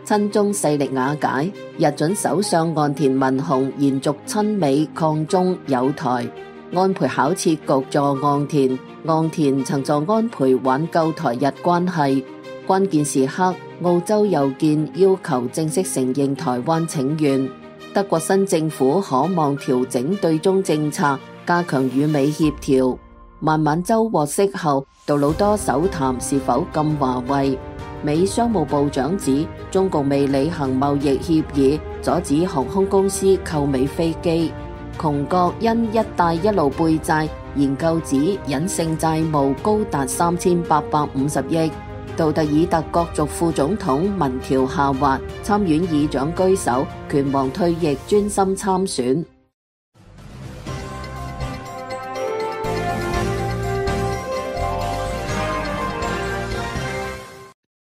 親中勢力瓦解，日準首相岸田文雄延續親美抗中友台。安倍巧設局助岸田，岸田曾助安倍挽救台日關係。關鍵時刻，澳洲郵件要求正式承認台灣請願。德國新政府可望調整對中政策，加強與美協調。孟晚舟獲釋後，杜魯多首談是否禁華為？美商務部長指中共未履行貿易協議，阻止航空公司購美飛機。窮國因一帶一路背債，研究指隱性債務高達3850億。杜特爾特角逐副總統民調下滑，參院議長居首，拳王退役專心參選。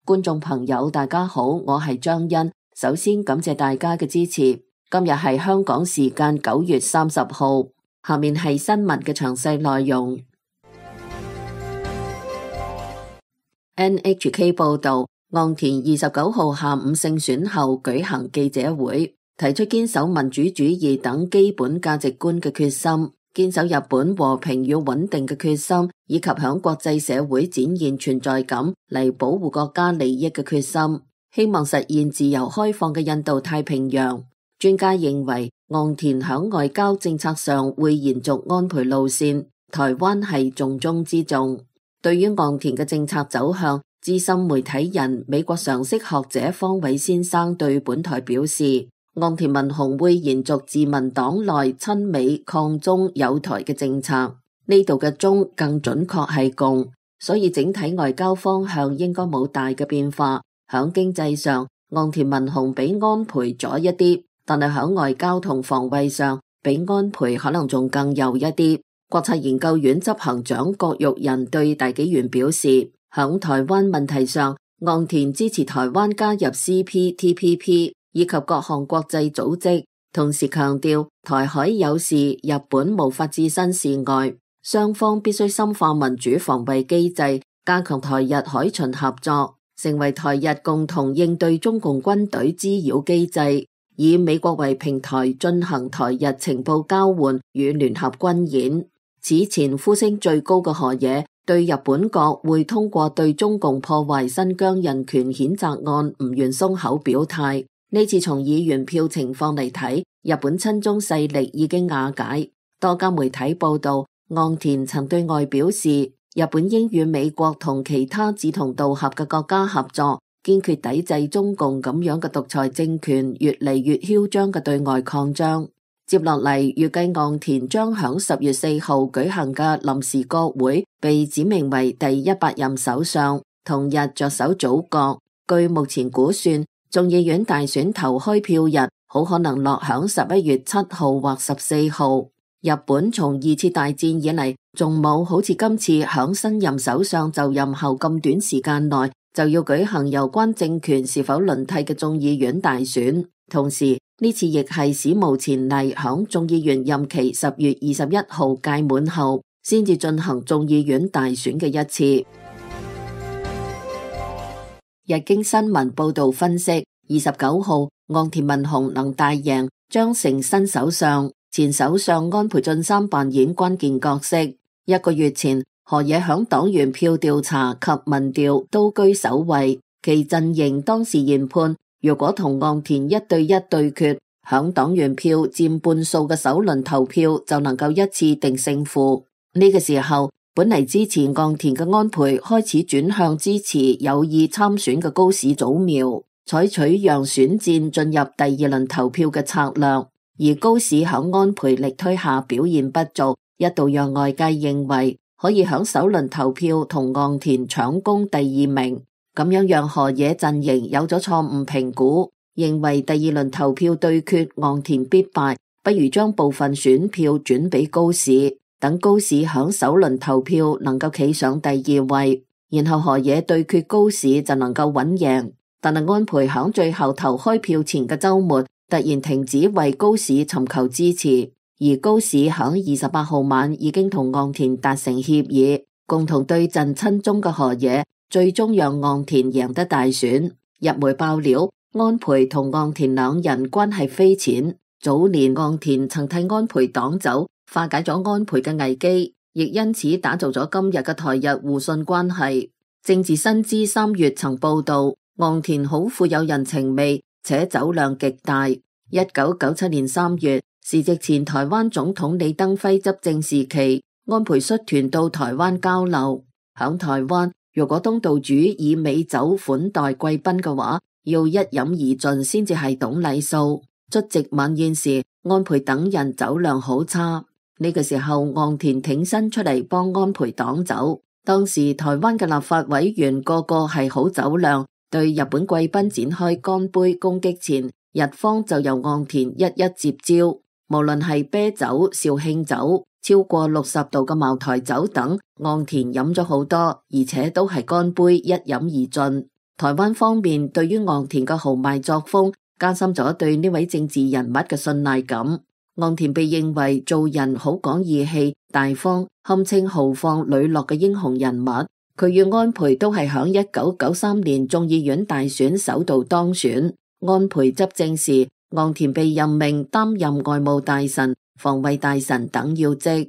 觀眾朋友大家好，我係張欣，首先感謝大家嘅支持。今日係香港時間9月30號，下面係新聞嘅詳細內容。NHK 報道，岸田29號下午勝選後舉行記者會，提出堅守民主主義等基本價值觀嘅決心，堅守日本和平與穩定嘅決心，以及向國際社會展現存在感嚟保護國家利益嘅決心，希望實現自由開放嘅印度太平洋。專家認為，岸田響外交政策上會延續安倍路線，台灣係重中之重。對於岸田嘅政策走向，資深媒體人美國常識學者方偉先生對本台表示，岸田文雄會延續自民黨內親美抗中友台嘅政策，呢度嘅中更準確係共，所以整體外交方向應該冇大嘅變化。響經濟上，岸田文雄比安倍左一啲，但係響外交同防衛上，比安倍可能仲更右一啲。國策研究院執行長郭玉仁對大紀元表示，響台灣問題上，岸田支持台灣加入 CPTPP 以及各項國際組織，同時強調台海有事，日本無法置身事外，雙方必須深化民主防衛機制，加強台日海巡合作，成為台日共同應對中共軍隊滋擾機制，以美國為平台進行台日情報交換與聯合軍演。此前呼聲最高嘅河野對日本國會通過對中共破壞新疆人權譴責案唔願鬆口表態。呢次從議員票情況嚟睇，日本親中勢力已經瓦解。多家媒體報道，岸田曾對外表示，日本應與美國同其他志同道合嘅國家合作，堅決抵制中共咁樣嘅獨裁政權越嚟越囂張嘅對外擴張。接落嚟，預計岸田將響10月4號舉行嘅臨時國會被指名為第100任首相，同日着手組閣。據目前估算，眾議院大選投開票日好可能落響11月7號或14號。日本從2次大戰以嚟，仲冇好似今次響新任首相就任後咁短時間內就要舉行有關政權是否輪替嘅眾議院大選。同時，呢次亦係史無前例響眾議員任期10月21號屆滿後，先至進行眾議院大選嘅一次。日經新聞報道分析，29號岸田文雄能大贏，將成新首相，前首相安倍晉三扮演關鍵角色。1個月前，河野響黨員票調查及民調都居首位，其陣營當時研判，如果同岸田1對1對決，響黨員票佔半數嘅首輪投票就能夠一次定勝負。呢個時候，本嚟支持岸田嘅安倍開始轉向支持有意參選嘅高市早苗，採取讓選戰進入第2輪投票嘅策略。而高市響安倍力推下表現不俗，一度讓外界認為可以響首輪投票同岸田搶攻第2名。咁樣讓河野陣營有咗錯誤評估，認為第2輪投票對決岸田必敗，不如將部分選票轉俾高市，等高市響首輪投票能夠企上第2位，然後河野對決高市就能夠穩贏。但係安倍響最後投開票前嘅週末突然停止為高市尋求支持，而高市響28號晚已經同岸田達成協議，共同對陣親中嘅河野，最終讓岸田贏得大選。日媒爆料，安倍同岸田兩人關係匪淺。早年岸田曾替安倍擋走，化解咗安倍嘅危機，亦因此打造咗今日嘅台日互信關係。政治新知3月曾報道，岸田好富有人情味，且酒量極大。1997年3月，時值前台灣總統李登輝執政時期，安倍率團到台灣交流。響台灣，如果東道主以美酒款待貴賓嘅話，要一飲而盡先至係懂禮數。出席晚宴時，安倍等人酒量好差。呢個時候，岸田挺身出嚟幫安倍擋酒。當時台灣嘅立法委員個個係好酒量，對日本貴賓展開乾杯攻擊前，日方就由岸田一一接招。無論係啤酒、紹興酒、超過60度嘅茅台酒等，岸田飲咗好多，而且都係乾杯一飲而盡。台灣方面對於岸田嘅豪邁作風，加深咗對呢位政治人物嘅信賴感。岸田被認為做人好講義氣、大方，堪稱豪放磊落嘅英雄人物。佢與安倍都係響1993年眾議院大選首度當選。安倍執政時，岸田被任命擔任外務大臣、防衛大臣等要職。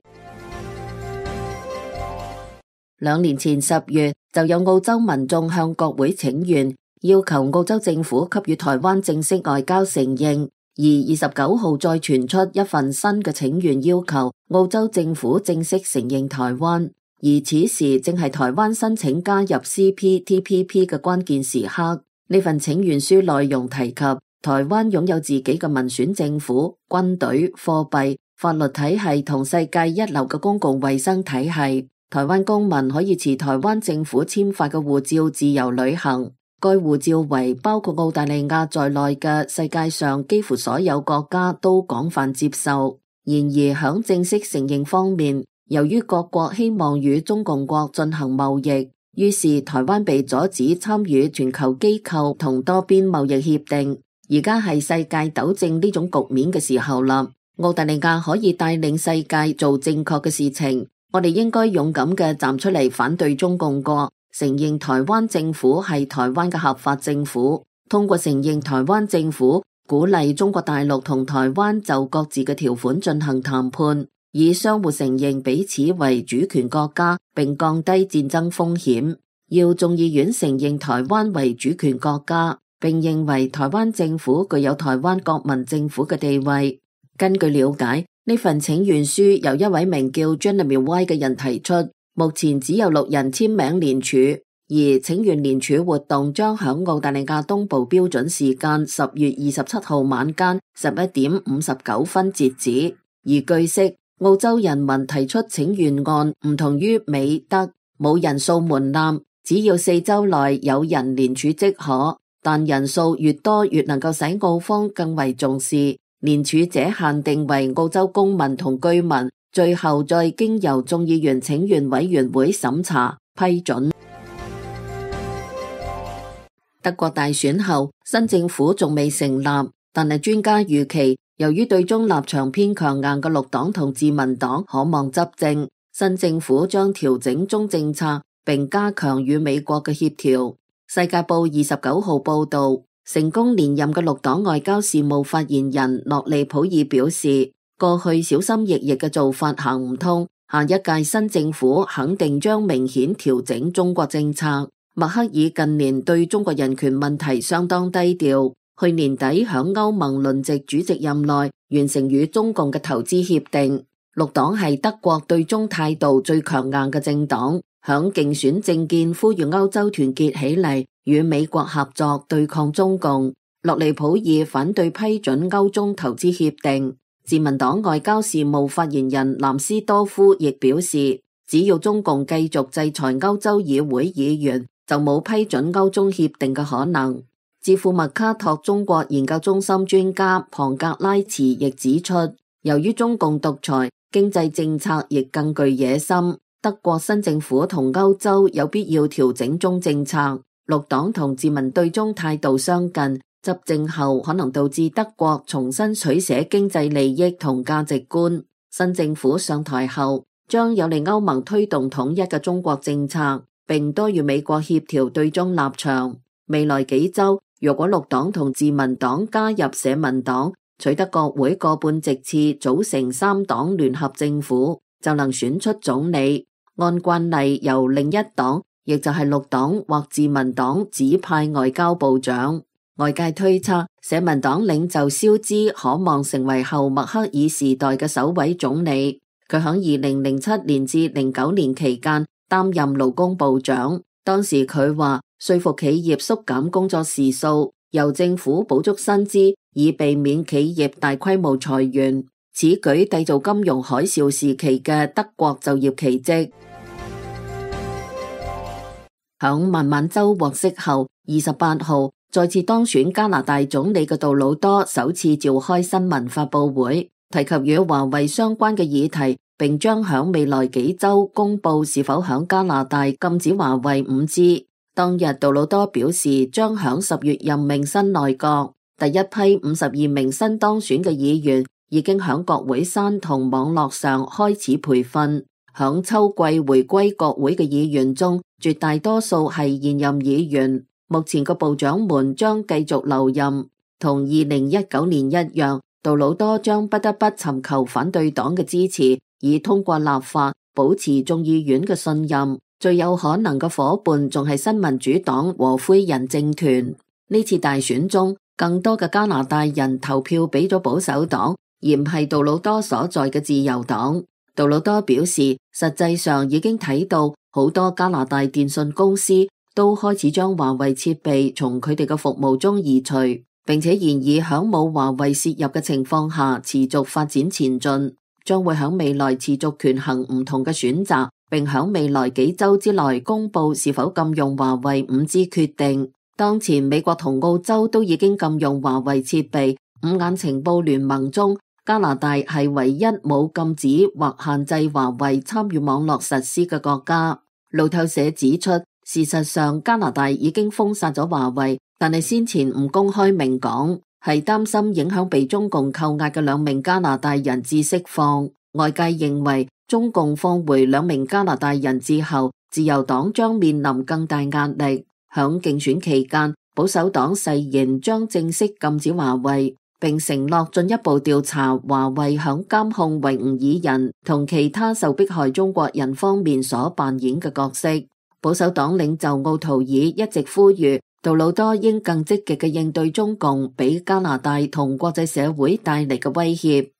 2年前10月，就有澳洲民眾向國會請願，要求澳洲政府給予台灣正式外交承認。而29號再傳出一份新嘅請願，要求澳洲政府正式承認台灣。而此時正係台灣申請加入 CPTPP 嘅關鍵時刻。呢份請願書內容提及，台灣擁有自己嘅民選政府、軍隊、貨幣、法律體系同世界一流嘅公共衛生體系。台灣公民可以持台灣政府簽發嘅護照自由旅行。該護照為包括澳大利亞在內嘅世界上幾乎所有國家都廣泛接受。然而響正式承認方面，由於各國希望與中共國進行貿易，於是台灣被阻止參與全球機構同多邊貿易協定。而家係世界糾正呢種局面嘅時候啦。澳大利亞可以帶領世界做正確嘅事情，我哋應該勇敢嘅站出嚟反對中共國，承認台灣政府係台灣嘅合法政府，通過承認台灣政府，鼓勵中國大陸同台灣就各自嘅條款進行談判，以相互承認彼此為主權國家，並降低戰爭風險。要眾議院承認台灣為主權國家，並認為台灣政府具有台灣國民政府嘅地位。根據了解，呢份請願書由一位名叫 Jeremy White 嘅人提出。目前只有6人簽名聯署，而請願聯署活動將響澳大利亞東部標準時間10月27號晚間11點59分截止。而據悉，澳洲人民提出請願案唔同於美德，冇人數門檻，只要4周內有人聯署即可，但人數越多越能夠使澳方更為重視。聯署者限定為澳洲公民同居民。最後再經由眾議員請願委員會審查批准。德國大選後，新政府仲未成立，但係專家預期，由於對中立場偏強硬嘅綠黨同自民黨可望執政，新政府將調整中政策，並加強與美國嘅協調。世界報29號報道，成功連任嘅綠黨外交事務發言人諾利普爾表示，過去小心翼翼嘅做法行唔通，下一屆新政府肯定將明顯調整中國政策。默克爾近年對中國人權問題相當低調，去年底響歐盟輪值主席任內完成與中共嘅投資協定。綠黨係德國對中態度最強硬嘅政黨，響競選政見呼籲歐洲團結起嚟，與美國合作對抗中共。諾利普爾反對批准歐中投資協定。自民黨外交事務發言人藍斯多夫亦表示，只要中共繼續制裁歐洲議會議員，就冇批准歐中協定嘅可能。智庫麥卡托中國研究中心專家龐格拉茨亦指出，由於中共獨裁，經濟政策亦更具野心，德國新政府同歐洲有必要調整中政策。綠黨同自民對中態度相近，執政後可能導致德國重新取捨經濟利益同價值觀。新政府上台後，將有利歐盟推動統一嘅中國政策，並多與美國協調對中立場。未來幾週，若果綠黨同自民黨加入社民黨，取得國會過半席次，組成三黨聯合政府，就能選出總理。按慣例，由另一黨，亦就係綠黨或自民黨指派外交部長。外界推測，社民黨領袖肖茲可望成為後默克爾時代嘅首位總理。佢響2007年至09年期間擔任勞工部長，當時佢話說服企業縮減工作時數，由政府補足薪資，以避免企業大規模裁員。此舉締造金融海嘯時期嘅德國就業奇蹟。響孟晚舟獲釋後，28號再次當選加拿大總理嘅杜魯多首次召開新聞發佈會，提及與華為相關嘅議題，並將響未來幾週公布是否響加拿大禁止華為 5G。當日杜魯多表示將響10月任命新內閣，第一批52名新當選嘅議員已經響國會山同網絡上開始培訓。響秋季回歸國會嘅議員中，絕大多數係現任議員。目前個部長們將繼續留任，同2019年一樣，杜魯多將不得不尋求反對黨嘅支持，以通過立法保持眾議院嘅信任。最有可能嘅夥伴仲係新民主黨和灰人政團。呢次大選中，更多嘅加拿大人投票俾咗保守黨，而唔係杜魯多所在嘅自由黨。杜魯多表示，實際上已經睇到好多加拿大電信公司都開始將華為設備從佢哋嘅服務中移除，並且現已響冇華為涉入嘅情況下持續發展前進，將會響未來持續權衡唔同嘅選擇，並響未來幾週之內公布是否禁用華為 5G 決定。當前美國同澳洲都已經禁用華為設備，五眼情報聯盟中，加拿大係唯一冇禁止或限制華為參與網絡實施嘅國家。路透社指出，事實上加拿大已經封殺咗華為，但係先前唔公開明講，係擔心影響被中共扣押嘅2名加拿大人質釋放。外界認為中共放回2名加拿大人質後，自由黨將面臨更大壓力。響競選期間，保守黨誓言將正式禁止華為，並承諾進一步調查華為響監控維吾爾人同其他受迫害中國人方面所扮演嘅角色。保守黨領袖奧圖爾一直呼籲杜魯多應更積極嘅應對中共俾加拿大同國際社會帶嚟嘅威脅。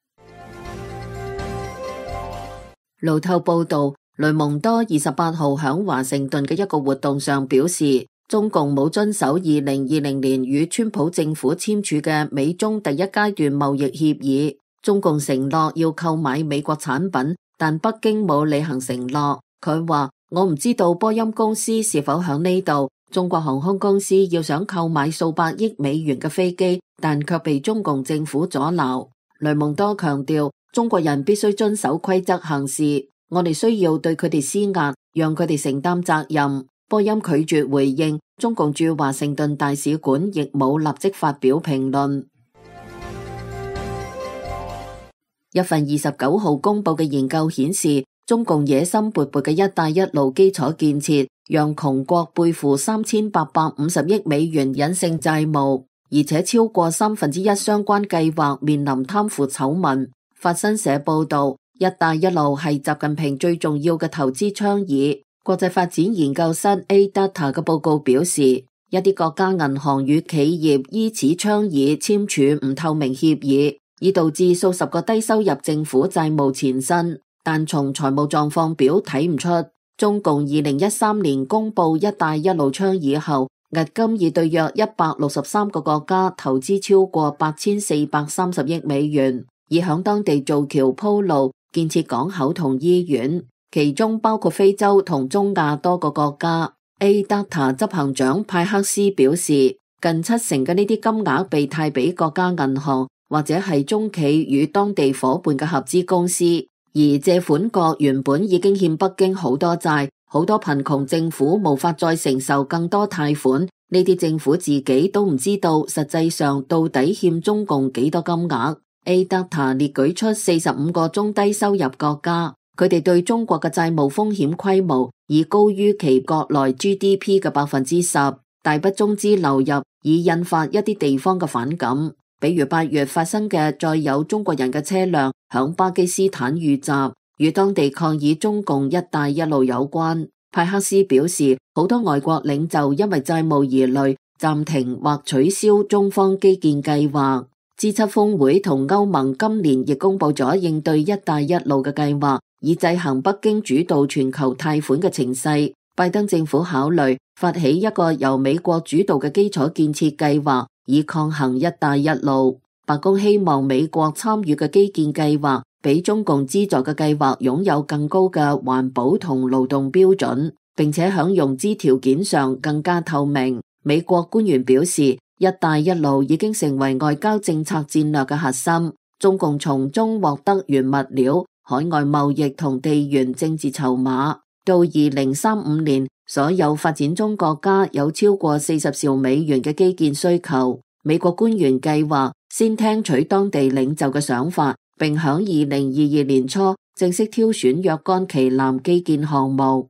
路透報道，雷蒙多28號響華盛頓嘅一個活動上表示，中共冇遵守2020年與川普政府簽署嘅美中第一階段貿易協議。中共承諾要購買美國產品，但北京冇履行承諾。佢話，我唔知道波音公司是否響呢度，中國航空公司要想購買數百億美元嘅飛機，但卻被中共政府阻撓。雷蒙多強調，中國人必須遵守規則行事，我哋需要對佢哋施壓，讓佢哋承擔責任。波音拒絕回應，中共駐華盛頓大使館亦冇立即發表評論。一份29號公佈嘅研究顯示，中共野心勃勃嘅一帶一路基礎建設，讓窮國背負3850億美元隱性債務，而且超過1/3相關計劃面臨貪腐醜聞。法新社報道，一帶一路係習近平最重要嘅投資倡議。國際發展研究室 A-Data 嘅報告表示，一啲國家銀行與企業依此倡議簽署唔透明協議，以導致數十個低收入政府債務纏身。但從財務狀況表睇唔出，中共2013年公布一帶一路倡議後，迄今已對約163個國家投資超過8430億美元，以響當地造橋鋪路、建設港口同醫院。其中包括非洲同中亞多個國家。A-Data 執行長派克斯表示，近70%嘅呢啲金額被貸俾國家銀行或者係中企與當地夥伴嘅合資公司，而借款國原本已經欠北京好多債，好多貧窮政府無法再承受更多貸款，呢啲政府自己都唔知道實際上到底欠中共幾多金額。A-Data 列舉出45個中低收入國家，佢哋對中國嘅債務風險規模已高於其國內 GDP 嘅10%。大筆中資流入，以引發一啲地方嘅反感。比如8月發生嘅載有中國人嘅車輛響巴基斯坦遇襲，與當地抗議中共一帶一路有關。派克斯表示，好多外國領袖因為債務疑慮，暫停或取消中方基建計劃。G7 峰會同歐盟今年亦公布咗應對一帶一路嘅計劃，以制衡北京主導全球貸款嘅情勢。拜登政府考慮發起一個由美國主導嘅基礎建設計劃，以抗衡一帶一路。白宮希望美國參與嘅基建計劃比中共資助嘅計劃擁有更高嘅環保同勞動標準，並且喺融資條件上更加透明。美國官員表示，一帶一路已經成為外交政策戰略嘅核心，中共從中獲得原物料、海外貿易同地緣政治籌碼。到2035年，所有發展中國家有超過40兆美元嘅基建需求。美國官員計劃先聽取當地領袖嘅想法，並響2022年初正式挑選若干旗艦基建項目。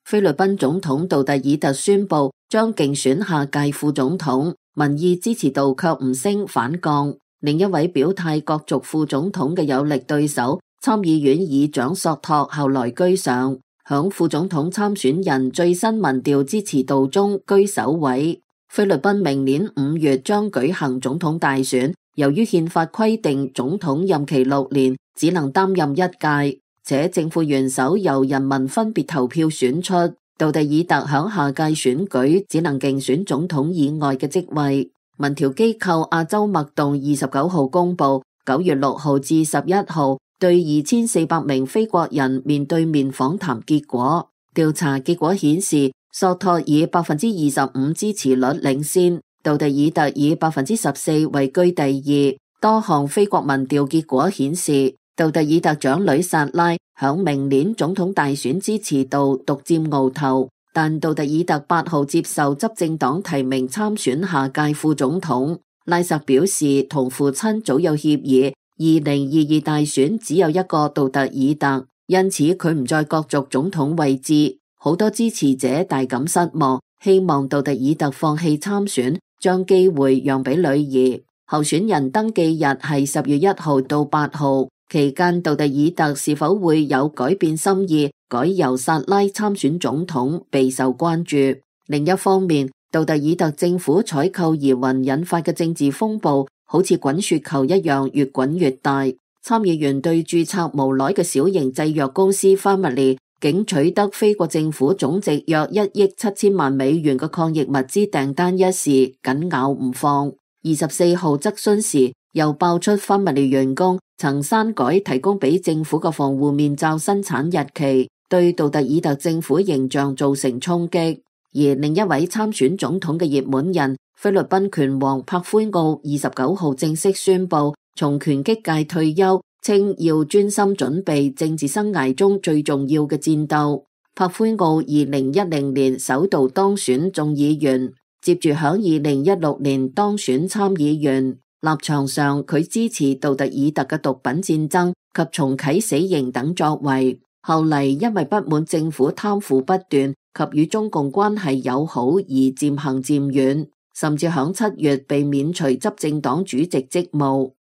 菲律賓總統杜特爾特宣布將競選下屆副總統，民意支持度卻唔升反降。另一位表態角逐副總統嘅有力對手，參議院議長索托後來居上，響副總統參選人最新民調支持度中居首位。菲律賓明年5月將舉行總統大選，由於憲法規定總統任期6年，只能擔任一屆，且正副元首由人民分別投票選出。杜特爾特響下屆選舉只能競選總統以外嘅職位。民調機構亞洲脈動29號公布9月6號至11號對2400名非國人面對面訪談結果。調查結果顯示，索托以25%支持率領先，杜特爾特以14%位居第二。多項非國民調結果顯示，杜特爾特長女薩拉響明年總統大選支持度獨佔鰲頭，但杜特爾特8號接受執政黨提名參選下屆副總統。拉薩表示，同父親早有協議，2022大選只有一個杜特爾特，因此佢唔再角逐總統位置。好多支持者大感失望，希望杜特爾特放棄參選，將機會讓俾女兒。候選人登記日係10月1號到8號，期間杜特爾特是否會有改變心意，改由薩拉參選總統，備受關注。另一方面，杜特爾特政府採購疑雲引發嘅政治風暴，好似滾雪球一樣越滾越大。參議員對註冊無賴嘅小型製藥公司 Family 竟取得非國政府總值約1億7千萬美元嘅抗疫物資訂單一事緊咬唔放。24號質詢時又爆出 Family 員工曾刪改提供俾政府嘅防護面罩生產日期，對杜特爾特政府形象造成衝擊。而另一位參選總統嘅熱門人菲律賓拳王柏奎奧29號正式宣布從拳擊界退休，稱要專心準備政治生涯中最重要嘅戰鬥。柏奎奧2010年首度當選眾議員，接住響2016年當選參議員。立場上佢支持杜特爾特嘅毒品戰爭及重啟死刑等作為，後嚟因為不滿政府貪腐不斷及與中共關係友好而漸行漸遠，甚至響7月被免除執政黨主席職務。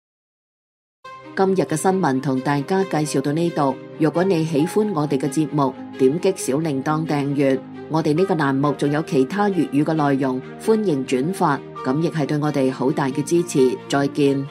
今日嘅新聞同大家介紹到呢度，如果你喜歡我哋嘅節目，點擊小鈴鐺訂閱。我哋呢個欄目仲有其他粵語嘅內容，歡迎轉發，咁亦係對我哋好大嘅支持。再見。